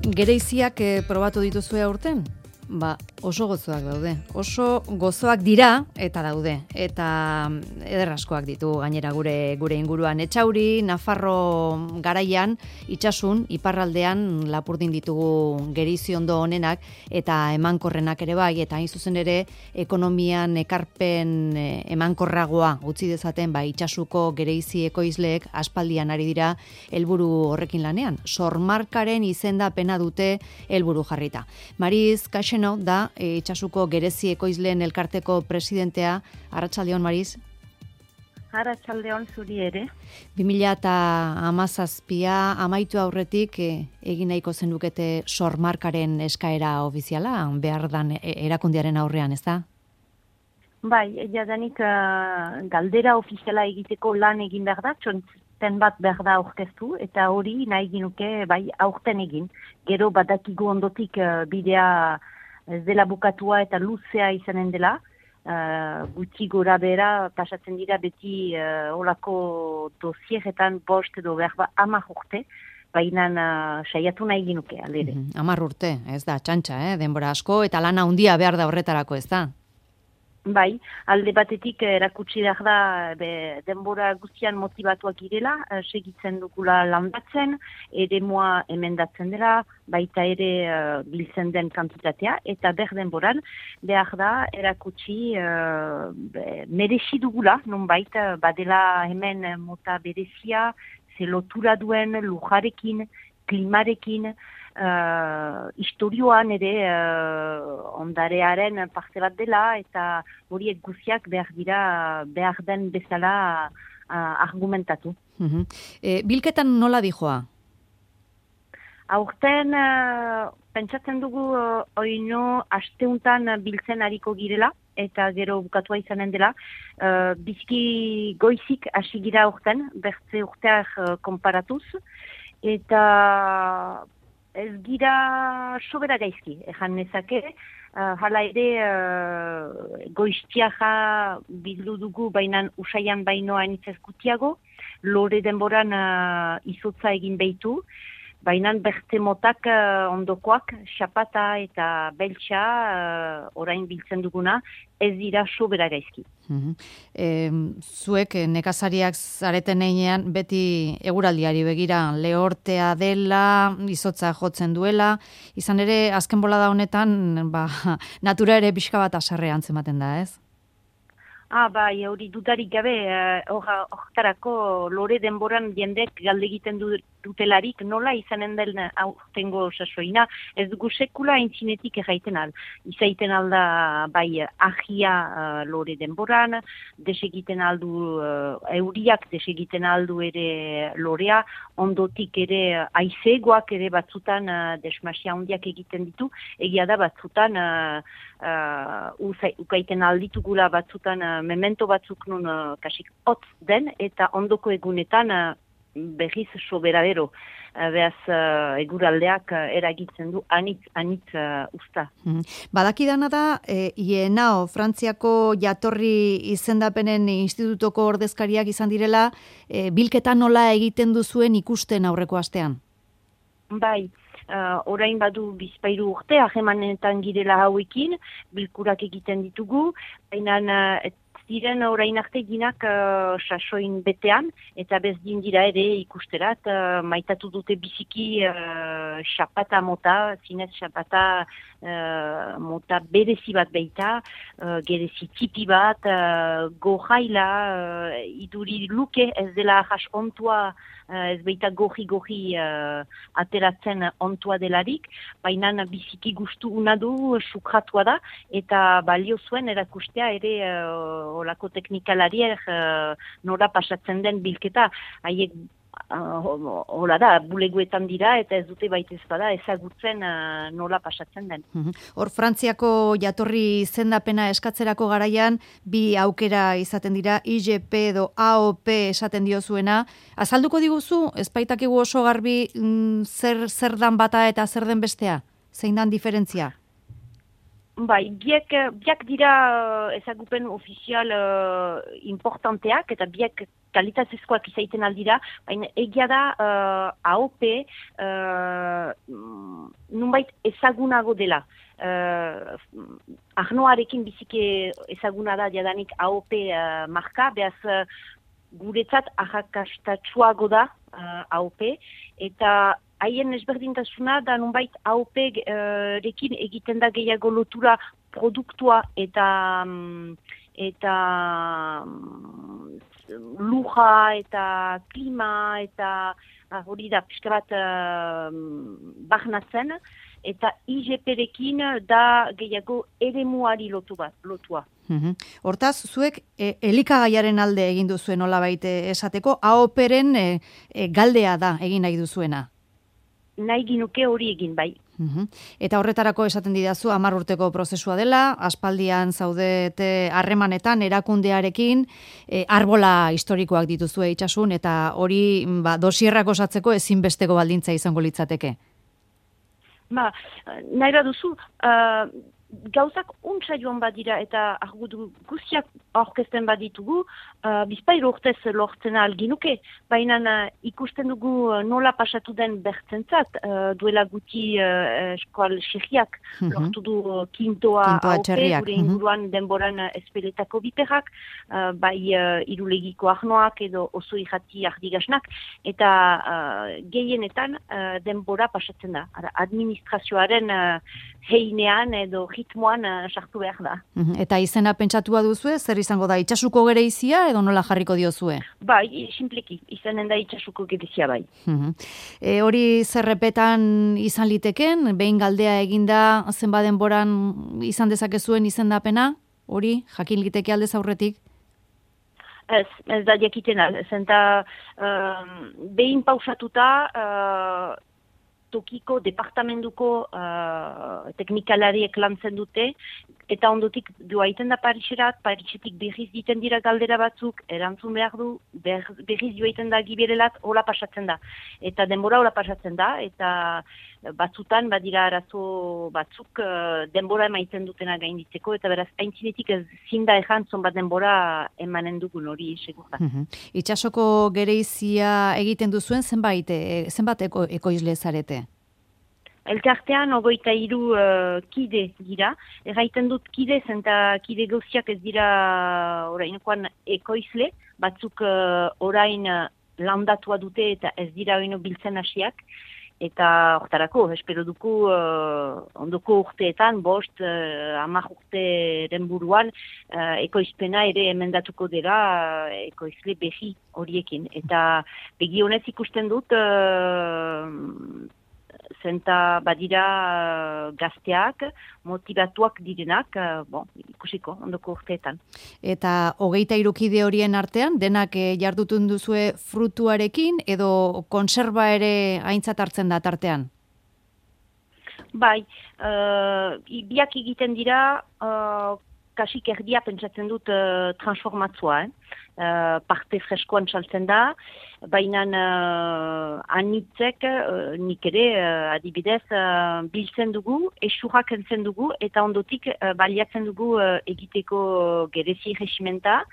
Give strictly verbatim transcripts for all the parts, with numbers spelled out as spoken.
Gereiziak eh, probatu dituzue aurten? Ba, oso gozoak daude. Oso gozoak dira eta daude. Eta ederraskoak ditu gainera gure gure inguruan. Etxauri, Nafarro garaian, itsasun, iparraldean lapurdin ditugu gereizi ondo honenak eta emankorrenak ere bai, eta hain zuzen ere ekonomian ekarpen emankorragoa utzi dezaten ba itsasuko gereizi ekoizleek aspaldian ari dira helburu horrekin lanean. Sormarkaren izendapena dute helburu jarrita. Mariz Kaxeno da e, itsasuko gerezi ekoizleen elkarteko presidentea. Arratsaldeon, Mariz. Arratsaldeon zuri ere. bi mila hamazazpia amaitu aurretik e, egin nahiko zenukete sormarkaren eskaera ofiziala behar dan erakundearen aurrean, ez da? Bai, jadanik uh, galdera ofiziala egiteko lan egin behar da, txonten bat behar da aurkeztu, eta hori nahi ginuke bai aurten egin. Gero badakigu ondotik uh, bidea ez dela bukatua eta luzea izanen dela, uh, gutxi gora bera pasatzen dira beti uh, olako dosieretan bost edo berba hamar urte, baina uh, saiatu nahi ginuke, alere. Mm-hmm. Hamar urte, ez da, txantxa, eh? Denbora asko, eta lana handia behar da horretarako, ez da? Bai, alde batetik erakutsi behar da be, denbora guztian motivatuak girela, segitzen dugula landatzen, ere moa emendatzen dela, baita ere uh, biltzen den kantitatea, eta ber denboran behar da erakutsi uh, merezi dugula, nonbait badela hemen mota berezia, ze lotura duen lujarekin, klimarekin, Uh, historioan ere uh, ondarearen parte bat dela, eta horiek guziak behar dira behar den bezala uh, argumentatu. Uh-huh. E, bilketan nola dijoa? Aurten uh, pentsatzen dugu uh, oino asteuntan biltzen hariko girela, eta gero bukatua izanen dela. Uh, bizki goizik hasi gira aurten, bertze urteak uh, konparatuz, eta ez gira sobera gaizki, ejan nezake, uh, hala ere uh, goiztiaja bildu dugu bainan usaian bainoa enitzez gutiago, lore denboran uh, izotza egin behitu, bainan berte motak uh, ondokoak, xapata eta beltsa uh, orain biltzen duguna, ez dira sobera gaizki. Uh-huh. E, zuek nekazariak zareten einean beti eguraldiari begira lehortea dela, izotza jotzen duela, izan ere azken bolada honetan ba, natura ere pixka bat aserre antzematen da, ez? Ah, bai, hori dudarik gabe, horretarako uh, lore denboran jendek galde egiten du, dutelarik, nola izanen den aurtengo sasoina, ez dugu sekula intzinetik erraiten al. Izaiten alda, bai, ahia uh, lore denboran, desegiten aldu uh, euriak, desegiten aldu ere lorea, ondotik ere aizegoak ere batzutan uh, desmasia handiak egiten ditu, egia da batzutan uh, uh, ukaiten alditugula batzutan uh, memento batzuk nun uh, kasik hotz den, eta ondoko egunetan uh, berriz soberadero. Uh, Beaz, uh, eguraldeak uh, eragitzen du anitz, anitz uh, usta. Hmm. Badakidana da, e, IENAO, Frantziako jatorri izendapenen institutoko ordezkariak izan direla, e, bilketa nola egiten duzuen ikusten aurreko astean? Bai. Uh, orain badu bizpairu urte, ahemanetan girela hauekin, bilkurak egiten ditugu, baina uh, ziren orain arte ginak uh, sasoin betean, eta bezdin dira ere ikusterat, uh, maitatu dute biziki uh, xapata mota, zinez xapata uh, mota berezi bat beita, uh, gerezi tipi bat, uh, gojaila, uh, iduri luke ez dela jas ontua, uh, ez beita goji-goji uh, ateratzen ontua delarik, baina biziki gustu unadu sukratua da, eta balio zuen erakustea ere uh, olako teknikalariek uh, nora pasatzen den bilketa, haiek uh, hola da, buleguetan dira, eta ez dute baita ezpada ezagutzen uh, nola pasatzen den. Hor, Frantziako jatorri izendapena eskatzerako garaian, bi aukera izaten dira, I G P edo A O P esaten diozuena. Azalduko diguzu, ez baitakigu oso garbi mm, zer, zer dan bata eta zer den bestea? Zein dan diferentzia? Bai, biek, biak dira ezagupen ofizial uh, importanteak, eta biek kalitatezkoak izaiten aldira, baina egia da uh, A O P uh, nunbait ezagunago dela. Uh, Arnoarekin bizike ezaguna da jadanik A O P uh, marka, behaz uh, guretzat arrakastatsuago da uh, A O P, eta haien ezberdintasuna da nunbait A O P uh, rekin egiten da gehiago lotura produktua eta um, eta um, luja eta klima eta hori da pixka bat uh, bahnatzen, eta I G P-rekin da gehiago eremuari lotu bat, lotua. Uhum. Hortaz, zuek e, elikagaiaren alde egin duzuen nolabait esateko, A O P-ren e, e, galdea da egin nahi duzuena? Nahi ginuke hori egin bai. Uhum. Eta horretarako esaten didazu hamar urteko prozesua dela, aspaldian zaudete harremanetan erakundearekin, e, arbola historikoak dituzue itsasun, eta hori ba, dosierrak osatzeko ezinbesteko baldintza izango litzateke. Ba, nahi baduzu, uh, gauzak untsa joan badira eta argudu guztiak aurkezten baditugu, uh, bizpahiru urtez lortzen alginuke, baina uh, ikusten dugu uh, nola pasatu den bertzentzat, uh, duela guti uh, eskual txerriak uh-huh. lortu du uh, kintoa A O P, gure inguruan uh-huh. denboran uh, espeletako biperrak, uh, bai uh, irulegiko arnoak edo oso irrati ardigasnak, eta uh, gehienetan uh, denbora pasatzen da. Ara, administrazioaren uh, heinean edo ritmoan uh, sartu behar da. Uh-huh. Eta izena pentsatua duzue, zer izango da, itxasuko gereizia edo nola jarriko diozue? Bai, simpleki, izanen da itxasuko gereizia bai. Uh-huh. E, hori zerrepetan izan liteken, behin galdea eginda zenba denboran izan dezakezuen izendapena, hori jakin liteke aldez aurretik? Ez, ez da jakitena, zenta uh, behin pausatuta uh, tokiko departamentuko uh, teknikalariek lantzen dute, eta ondotik joaiten da Pariserat, Parisetik berriz diten dira galdera batzuk, erantzun behar du, ber, berriz joaiten da giberelat, hola pasatzen da. Eta denbora hola pasatzen da, eta batzutan badira arazo batzuk uh, denbora emaiten dutena gainditzeko, eta beraz, aintzinetik ez zinda ezan zonbat denbora emanen dugun hori segurta. Uh-huh. Itsasoko gereizia egiten duzuen zenbait, e, zenbat eko, ekoizle zarete? Elkartean ogoita hiru uh, kide dira. Erraiten dut kide, zenta kide gauziak ez dira orainokoan ekoizle, batzuk uh, orain uh, landatua dute eta ez dira oino biltzen hasiak. Eta hortarako, espero duku uh, ondoko urteetan, bost, uh, hamar urteren buruan, uh, ekoizpena ere emendatuko dela uh, ekoizle behi horiekin. Eta begi honez ikusten dut, uh, zenta badira uh, gazteak, motivatuak direnak, uh, bon, ikusiko, ondoko urteetan. Eta hogeita irukide horien artean, denak eh, jardutun duzue frutuarekin, edo konserba ere aintzat hartzen da tartean? Bai, uh, biak egiten dira, uh, kasik erdia pentsatzen dut uh, transformatzua, eh? Uh, parte freskoan saltzen da, baina uh, anitzek, uh, nik ere, uh, adibidez, uh, biltzen dugu, esurrak entzen dugu, eta ondotik uh, baliatzen dugu uh, egiteko gerezi regimenta.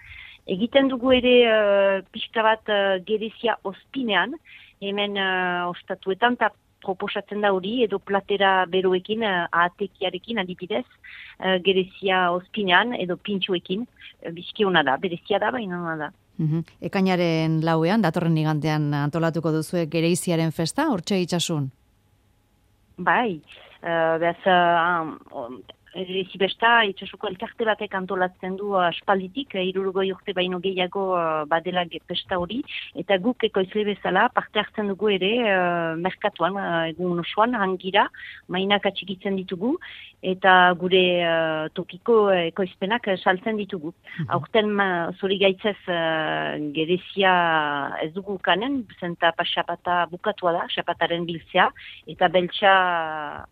Egiten dugu ere uh, pixka bat uh, gerezia ospinean, hemen uh, ostatuetan, eta proposatzen da hori, edo platera beroekin, uh, ahatekiarekin adibidez, uh, gerezia ospinean, edo pintxoekin, uh, bizki hona da, berezia da, baina hona da. Uhum. Ekainaren lauean, datorren igantean antolatuko duzue gereiziaren festa, hortxe itxasun? Bai, uh, behaz, uh, um, Erezi besta, itxasuko elkarte batek antolatzen du aspalditik, hirurogei urte baino gehiago uh, badela pesta hori, eta guk ekoizle bezala parte hartzen dugu ere uh, merkatuan, uh, egun osoan, hangira, mainak atxikitzen ditugu, eta gure uh, tokiko ekoizpenak saltzen ditugu. Mm-hmm. Aurten uh, zori gaitzez uh, gerezia ez dugu kanen, zenta pasapata bukatua da, xapataren biltzea, eta beltsa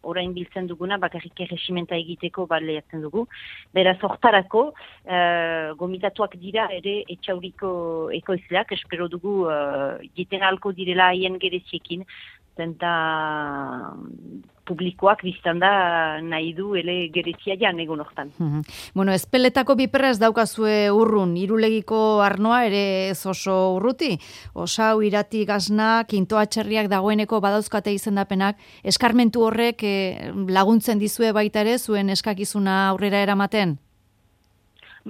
orain biltzen duguna, bakarrik erresimenta egite baleatzen dugu. Beraz, hortarako, uh, gomitatuak dira ere etxauriko ekoizleak, espero dugu uh, jiten alko direla haien gereziekin, zenta publikoak biztan da nahi du ele gerezia jan egun hortan. Mm-hmm. Bueno, ezpeletako biperra ez daukazue urrun, Irulegiko Arnoa ere ez oso urruti. Osau, Irati, Gazna, Kinto Atxerriak dagoeneko badauzkate izendapenak, eskarmentu horrek eh, laguntzen dizue baita ere zuen eskakizuna aurrera eramaten?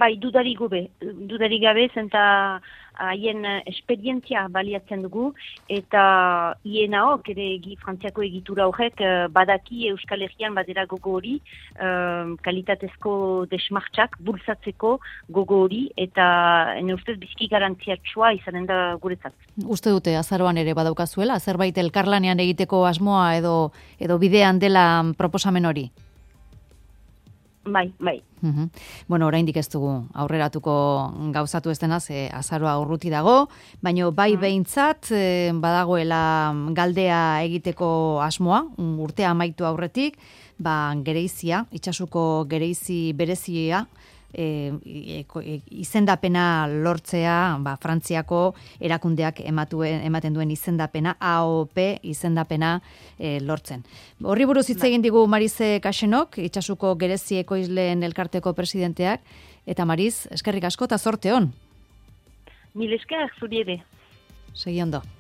Bai, dudarik gabe, dudarik gabe, zenta haien esperientzia baliatzen dugu, eta hienaok, ere egi, frantziako egitura horrek, badaki Euskal Herrian badera gogo hori, um, kalitatezko desmartxak bultzatzeko gogo hori, eta ene ustez bizki garantziatsua izanen da guretzat. Uste dute, azaroan ere badaukazuela, zerbait elkarlanean egiteko asmoa edo, edo bidean dela proposamen hori? Bai, bai. Uhum. Bueno, oraindik ez dugu aurreratuko gauzatu ez denaz, e, azaroa urruti dago, baina bai behintzat e, badagoela galdea egiteko asmoa, urtea amaitu aurretik, ba, gereizia, itsasuko gereizi berezia, E, e, e, izendapena lortzea, ba, Frantziako erakundeak ematuen, ematen duen izendapena, A O P izendapena e, lortzen. Horri buruz hitz egin digu Marize Kaxenok, itsasuko gerezi ekoizleen elkarteko presidenteak, eta Mariz, eskerrik asko eta zorte on. Mil esker, zuri ere. Segi ondo.